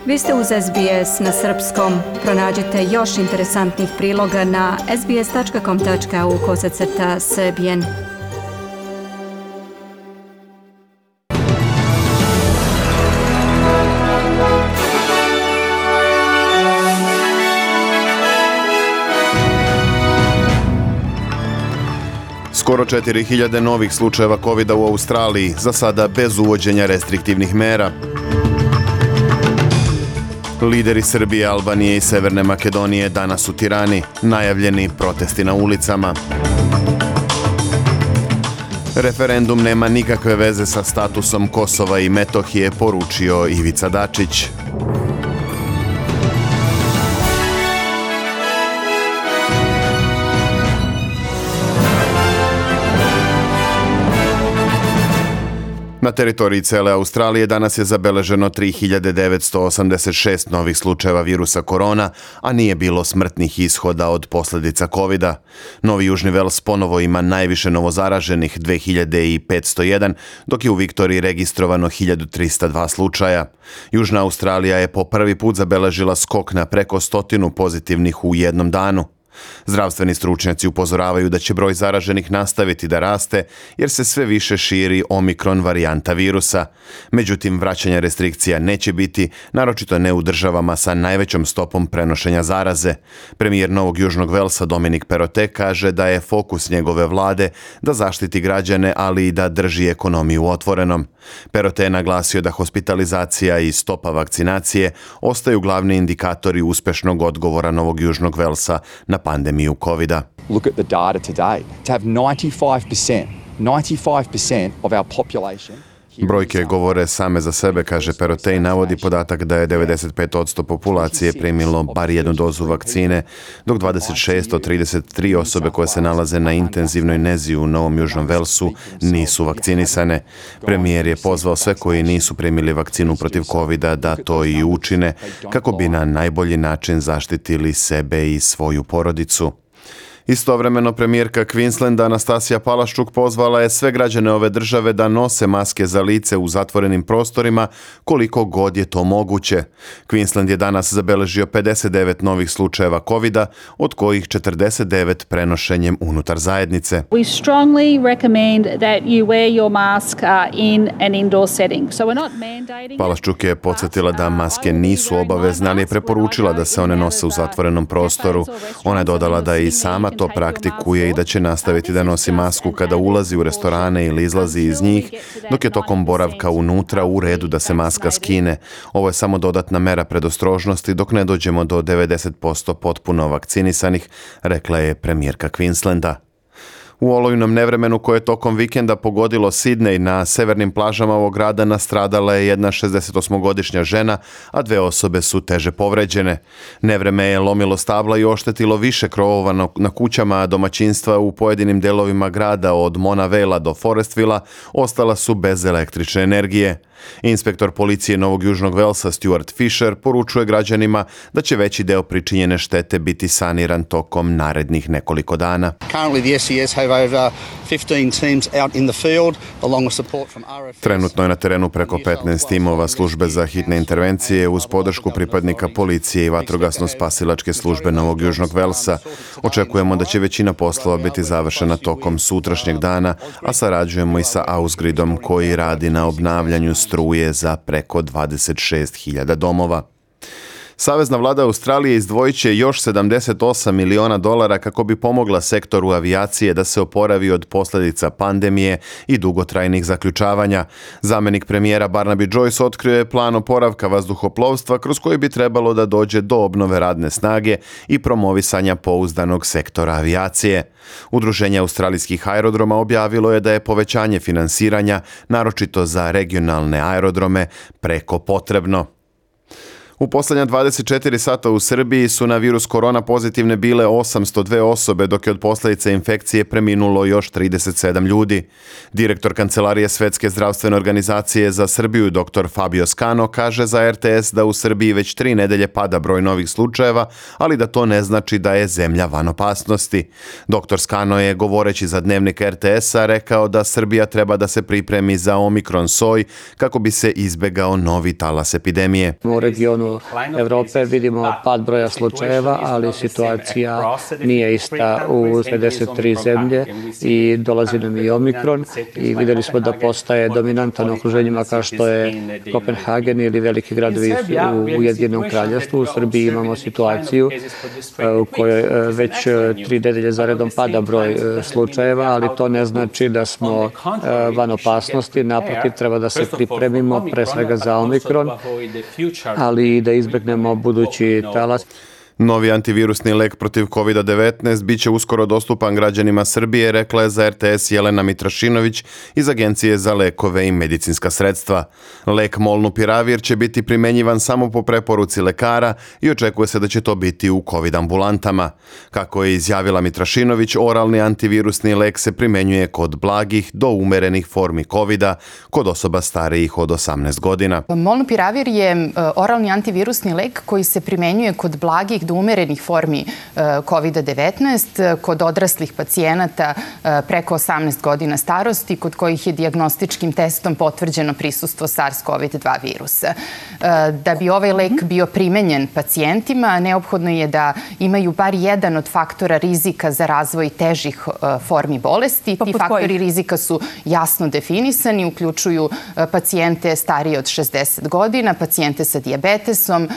Vi ste uz SBS na srpskom. Pronađite još interesantnih priloga na sbs.com.au/srbijen. Skoro 4000 novih slučajeva COVID-a u Australiji, za sada bez uvođenja restriktivnih mera. Lideri Srbije, Albanije i Severne Makedonije danas u Tirani, najavljeni protesti na ulicama. Referendum nema nikakve veze sa statusom Kosova i Metohije, poručio Ivica Dačić. Na teritoriji cele Australije danas je zabeleženo 3986 novih slučajeva virusa korona, a nije bilo smrtnih ishoda od posljedica COVID-a. Novi Južni Vels ponovo ima najviše novozaraženih 2501, dok je u Viktoriji registrovano 1302 slučaja. Južna Australija je po prvi put zabeležila skok na preko 100 pozitivnih u jednom danu. Zdravstveni stručnjaci upozoravaju da će broj zaraženih nastaviti da raste jer se sve više širi omikron varijanta virusa. Međutim, vraćanje restrikcija neće biti, naročito ne u državama sa najvećom stopom prenošenja zaraze. Premijer Novog Južnog Velsa Dominic Perrottet kaže da je fokus njegove vlade da zaštiti građane, ali i da drži ekonomiju otvorenom. Perrottet je naglasio da hospitalizacija i stopa vakcinacije ostaju glavni indikatori uspešnog odgovora Novog Južnog Velsa na pandemiju COVID-a. Look at the data today. To have 95% of our population. Brojke govore same za sebe, kaže Perrottet i navodi podatak da je 95% populacije primilo bar jednu dozu vakcine, dok 26 od 33 osobe koje se nalaze na intenzivnoj nezi u Novom Južnom Velsu nisu vakcinisane. Premijer je pozvao sve koji nisu primili vakcinu protiv COVID-a da to i učine, kako bi na najbolji način zaštitili sebe i svoju porodicu. Istovremeno premijerka Queenslanda Anastasija Palaszczuk pozvala je sve građane ove države da nose maske za lice u zatvorenim prostorima koliko god je to moguće. Queensland je danas zabeležio 59 novih slučajeva COVID-a, od kojih 49 prenošenjem unutar zajednice. We strongly recommend that you wear your mask in an indoor setting. So we're not mandating. Palaszczuk je podsjetila da maske nisu obavezne, ali je preporučila da se one nose u zatvorenom prostoru. Ona je dodala da i sama to praktikuje i da će nastaviti da nosi masku kada ulazi u restorane ili izlazi iz njih, dok je tokom boravka unutra u redu da se maska skine. Ovo je samo dodatna mera predostrožnosti dok ne dođemo do 90% potpuno vakcinisanih, rekla je premijerka Queenslanda. U olujnom nevremenu koje je tokom vikenda pogodilo Sidney, na severnim plažama ovog grada nastradala je jedna 68-godišnja žena, a 2 osobe su teže povređene. Nevreme je lomilo stabla i oštetilo više krovova na kućama, a domaćinstva u pojedinim delovima grada od Mona Vale do Forestvilla ostala su bez električne energije. Inspektor policije Novog Južnog Velsa Stuart Fisher poručuje građanima da će veći deo pričinjene štete biti saniran tokom narednih nekoliko dana. Trenutno je na terenu preko 15 timova službe za hitne intervencije uz podršku pripadnika policije i vatrogasno-spasilačke službe Novog Južnog Velsa. Očekujemo da će većina poslova biti završena tokom sutrašnjeg dana, a sarađujemo i sa Ausgridom koji radi na obnavljanju struje za preko 26.000 domova. Savezna vlada Australije izdvojit će još $78 miliona kako bi pomogla sektoru avijacije da se oporavi od posljedica pandemije i dugotrajnih zaključavanja. Zamjenik premijera Barnaby Joyce otkrio je plan oporavka vazduhoplovstva kroz koji bi trebalo da dođe do obnove radne snage i promovisanja pouzdanog sektora avijacije. Udruženje australijskih aerodroma objavilo je da je povećanje finansiranja, naročito za regionalne aerodrome, preko potrebno. U posljednja 24 sata u Srbiji su na virus korona pozitivne bile 802 osobe, dok je od posljedica infekcije preminulo još 37 ljudi. Direktor Kancelarije Svetske zdravstvene organizacije za Srbiju, dr. Fabio Scano, kaže za RTS da u Srbiji već 3 nedelje pada broj novih slučajeva, ali da to ne znači da je zemlja van opasnosti. Dr. Scano je, govoreći za dnevnik RTS-a, rekao da Srbija treba da se pripremi za omikron soj kako bi se izbegao novi talas epidemije. U regionu regionu Evrope vidimo pad broja slučajeva, ali situacija nije ista u 53 zemlje i dolazi nam i Omikron i vidjeli smo da postaje dominantan u okruženjima kao što je Kopenhagen ili veliki gradovi u Ujedinjenom Kraljevstvu. U Srbiji imamo situaciju u kojoj već 3 nedelje zaredom pada broj slučajeva, ali to ne znači da smo van opasnosti. Naprotiv, treba da se pripremimo pre svega za Omikron, ali i da izbegnemo budući talas. Novi antivirusni lek protiv COVID-19 bit će uskoro dostupan građanima Srbije, rekla je za RTS Jelena Mitrašinović iz Agencije za lekove i medicinska sredstva. Lek Molnupiravir će biti primenjivan samo po preporuci lekara i očekuje se da će to biti u COVID ambulantama. Kako je izjavila Mitrašinović, oralni antivirusni lek se primenjuje kod blagih do umerenih formi COVID-a, kod osoba starijih od 18 godina. Molnupiravir je oralni antivirusni lek koji se primenjuje kod blagih do umerenih formi COVID-19, kod odraslih pacijenata preko 18 godina starosti, kod kojih je dijagnostičkim testom potvrđeno prisustvo SARS-CoV-2 virusa. Da bi ovaj lek bio primenjen pacijentima, neophodno je da imaju bar jedan od faktora rizika za razvoj težih formi bolesti. Ti faktori rizika su jasno definisani, uključuju pacijente starije od 60 godina, pacijente sa dijabetesom,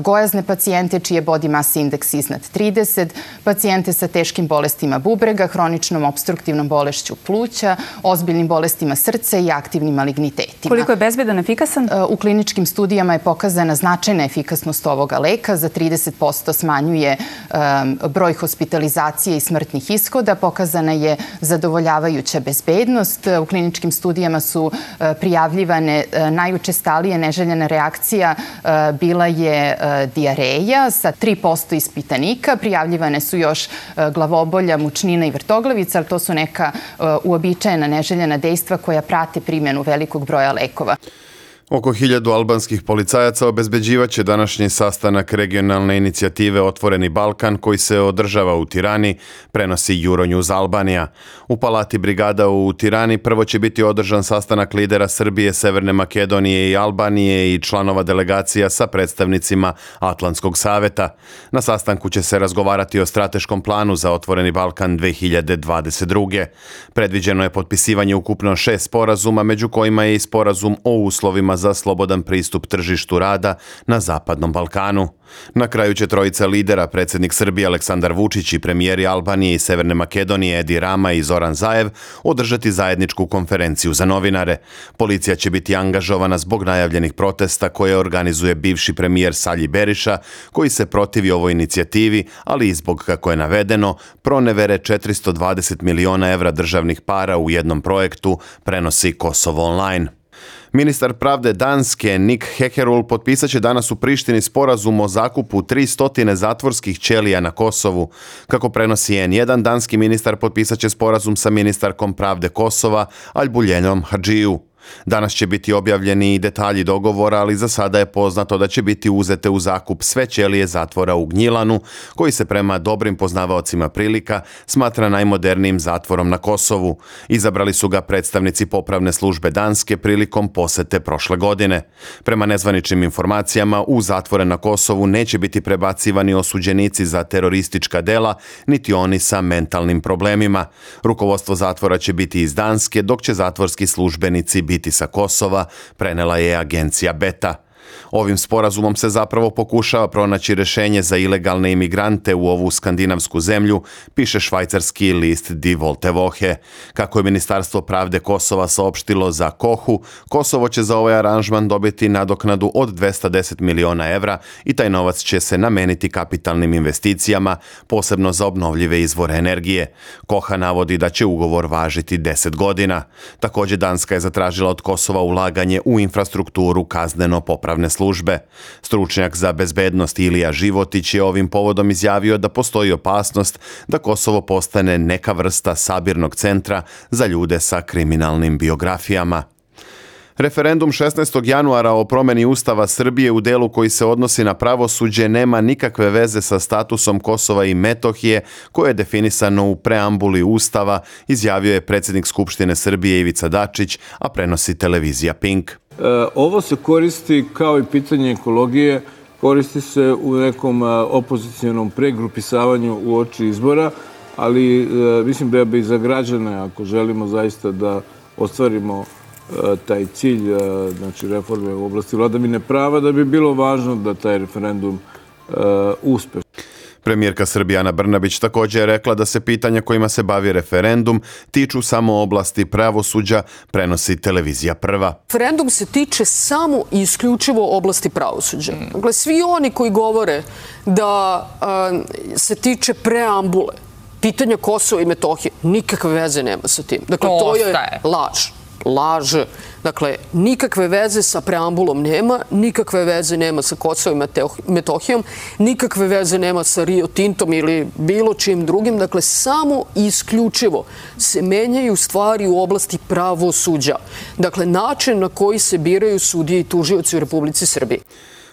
gojazne pacijente čije body mass indeks iznad 30, pacijente sa teškim bolestima bubrega, hroničnom opstruktivnom bolešću pluća, ozbiljnim bolestima srca i aktivnim malignitetima. Koliko je bezbedan, efikasan? U kliničkim studijama je pokazana značajna efikasnost ovoga leka. Za 30% smanjuje broj hospitalizacije i smrtnih ishoda. Pokazana je zadovoljavajuća bezbednost. U kliničkim studijama su prijavljivane najučestalije neželjena reakcija bila je dijareja sa 3% ispitanika. Prijavljivane su još glavobolja, mučnina i vrtoglavica, ali to su neka uobičajena neželjena dejstva koja prate primjenu velikog broja lekova. Oko 1000 albanskih policajaca obezbeđivaće današnji sastanak regionalne inicijative Otvoreni Balkan koji se održava u Tirani, prenosi Euronews Albanija. U Palati brigada u Tirani prvo će biti održan sastanak lidera Srbije, Severne Makedonije i Albanije i članova delegacija sa predstavnicima Atlantskog saveta. Na sastanku će se razgovarati o strateškom planu za Otvoreni Balkan 2022. Predviđeno je potpisivanje ukupno 6 sporazuma, među kojima je i sporazum o uslovima za slobodan pristup tržištu rada na Zapadnom Balkanu. Na kraju će trojica lidera, predsjednik Srbije Aleksandar Vučić i premijeri Albanije i Severne Makedonije Edi Rama i Zoran Zaev, održati zajedničku konferenciju za novinare. Policija će biti angažovana zbog najavljenih protesta koje organizuje bivši premijer Salji Beriša, koji se protivi ovoj inicijativi, ali i zbog, kako je navedeno, pronevere 420 miliona evra državnih para u jednom projektu, prenosi Kosovo Online. Ministar pravde Danske Nick Hekerul potpisat će danas u Prištini sporazum o zakupu 300 zatvorskih ćelija na Kosovu. Kako prenosi N1, danski ministar potpisat će sporazum sa ministarkom pravde Kosova Albuljenom Hadžiju. Danas će biti objavljeni i detalji dogovora, ali za sada je poznato da će biti uzete u zakup sve ćelije zatvora u Gnjilanu, koji se prema dobrim poznavaocima prilika smatra najmodernijim zatvorom na Kosovu. Izabrali su ga predstavnici popravne službe Danske prilikom posete prošle godine. Prema nezvaničnim informacijama, u zatvore na Kosovu neće biti prebacivani osuđenici za teroristička dela, niti oni sa mentalnim problemima. Rukovodstvo zatvora će biti iz Danske, dok će zatvorski službenici biti sa Kosova, prenela je agencija Beta. Ovim sporazumom se zapravo pokušava pronaći rješenje za ilegalne imigrante u ovu skandinavsku zemlju, piše švajcarski list Die Wolte Woche. Kako je Ministarstvo pravde Kosova saopštilo za Kohu, Kosovo će za ovaj aranžman dobiti nadoknadu od 210 miliona evra i taj novac će se nameniti kapitalnim investicijama, posebno za obnovljive izvore energije. Koha navodi da će ugovor važiti 10 godina. Također Danska je zatražila od Kosova ulaganje u infrastrukturu kazneno-popravne službe. Stručnjak za bezbednost Ilija Životić je ovim povodom izjavio da postoji opasnost da Kosovo postane neka vrsta sabirnog centra za ljude sa kriminalnim biografijama. Referendum 16. januara o promjeni Ustava Srbije u delu koji se odnosi na pravosuđe nema nikakve veze sa statusom Kosova i Metohije koje je definisano u preambuli Ustava, izjavio je predsjednik Skupštine Srbije Ivica Dačić, a prenosi televizija Pink. Ovo se koristi kao i pitanje ekologije koristi se u nekom opozicijonom pregrupisavanju uoči izbora, ali mislim da bi za građane, ako želimo zaista da ostvarimo taj cilj, znači reforme u oblasti vladavine prava, da bi bilo važno da taj referendum uspe. Premijerka Srbije Ana Brnabić također je rekla da se pitanja kojima se bavi referendum tiču samo oblasti pravosuđa, prenosi televizija Prva. Referendum se tiče samo i isključivo oblasti pravosuđa. Dakle, svi oni koji govore da se tiče preambule, pitanja Kosova i Metohije, nikakve veze nema sa tim. Dakle, to je laž. Dakle, nikakve veze sa preambulom nema, nikakve veze nema sa Kosovom i Metohijom, nikakve veze nema sa Rio Tintom ili bilo čim drugim. Dakle, samo i isključivo se menjaju stvari u oblasti pravosuđa. Dakle, način na koji se biraju sudije i tužioci u Republici Srbiji.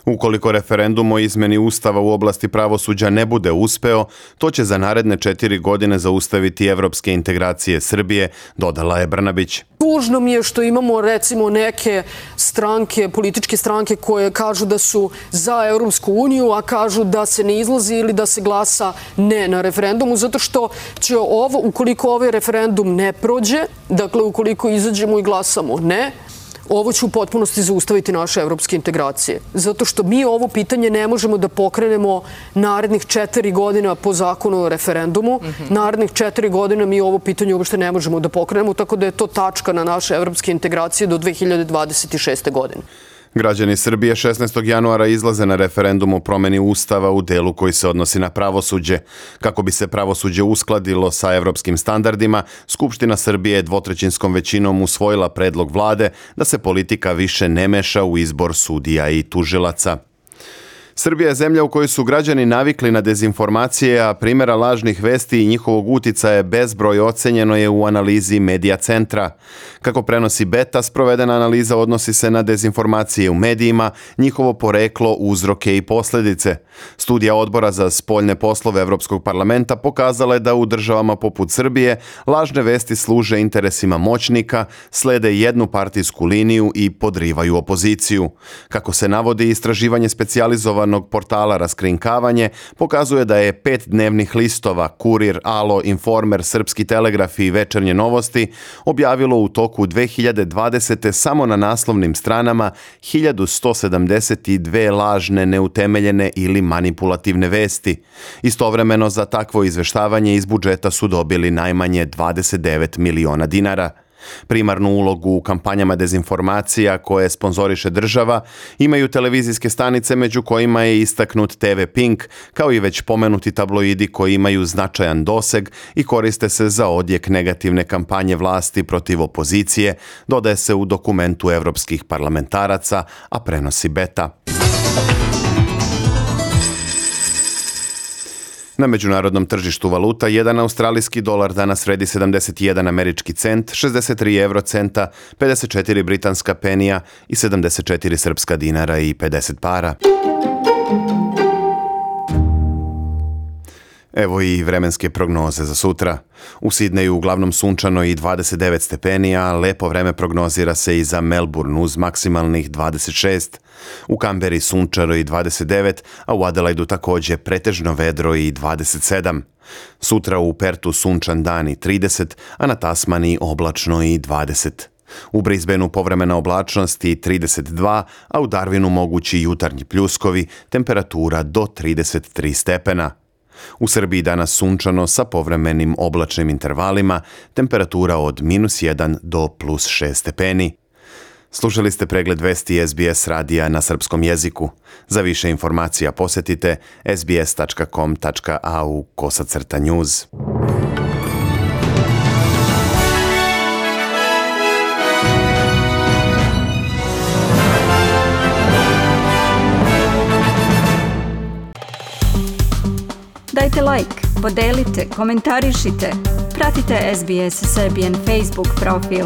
Ukoliko referendum o izmeni Ustava u oblasti pravosuđa ne bude uspeo, to će za naredne 4 godine zaustaviti evropske integracije Srbije, dodala je Brnabić. Tužno mi je što imamo recimo neke stranke, političke stranke koje kažu da su za Europsku uniju, a kažu da se ne izlazi ili da se glasa ne na referendumu, zato što će ukoliko ovaj referendum ne prođe, dakle ukoliko izađemo i glasamo ne, ovo će u potpunosti zaustaviti naše evropske integracije. Zato što mi ovo pitanje ne možemo da pokrenemo narednih 4 godina po zakonu o referendumu. Narednih 4 godina mi ovo pitanje uopšte ne možemo da pokrenemo, tako da je to tačka na naše evropske integracije do 2026. godine. Građani Srbije 16. januara izlaze na referendum o promeni Ustava u delu koji se odnosi na pravosuđe. Kako bi se pravosuđe uskladilo sa evropskim standardima, Skupština Srbije je dvotrećinskom većinom usvojila predlog vlade da se politika više ne meša u izbor sudija i tužilaca. Srbija je zemlja u kojoj su građani navikli na dezinformacije, a primjera lažnih vesti i njihovog uticaja bezbroj ocenjeno je u analizi Medija centra. Kako prenosi Beta, sprovedena analiza odnosi se na dezinformacije u medijima, njihovo poreklo, uzroke i posljedice. Studija Odbora za spoljne poslove Evropskog parlamenta pokazala je da u državama poput Srbije lažne vesti služe interesima moćnika, slede jednu partijsku liniju i podrivaju opoziciju. Kako se navodi, istraživanje specijalizovanog portala Raskrinkavanje pokazuje da je 5 dnevnih listova Kurir, Alo, Informer, Srpski telegraf i Večernje novosti objavilo u toku 2020. samo na naslovnim stranama 1172 lažne, neutemeljene ili manipulativne vesti. Istovremeno za takvo izveštavanje iz budžeta su dobili najmanje 29 miliona dinara. Primarnu ulogu u kampanjama dezinformacija koje sponzoriše država imaju televizijske stanice među kojima je istaknut TV Pink, kao i već pomenuti tabloidi koji imaju značajan doseg i koriste se za odjek negativne kampanje vlasti protiv opozicije, dodaje se u dokumentu evropskih parlamentaraca, a prenosi Beta. Na međunarodnom tržištu valuta, 1 australijski dolar danas vredi 71 američki cent, 63 eurocenta, 54 britanska penija i 74 srpska dinara i 50 para. Evo i vremenske prognoze za sutra. U Sidneju uglavnom sunčano i 29 stepeni, a lepo vreme prognozira se i za Melbourne uz maksimalnih 26. U Kamberi sunčano i 29, a u Adelaidu također pretežno vedro i 27. Sutra u Pertu sunčan dan i 30, a na Tasmaniji oblačno i 20. U Brisbaneu povremena oblačnost i 32, a u Darwinu mogući jutarnji pljuskovi, temperatura do 33 stepena. U Srbiji danas sunčano sa povremenim oblačnim intervalima, temperatura od -1 do +6 stepeni. Slušali ste pregled vesti SBS radija na srpskom jeziku. Za više informacija posjetite sbs.com.au/news. Dajte like, podelite, komentarišite. Pratite SBS Serbian Facebook profil.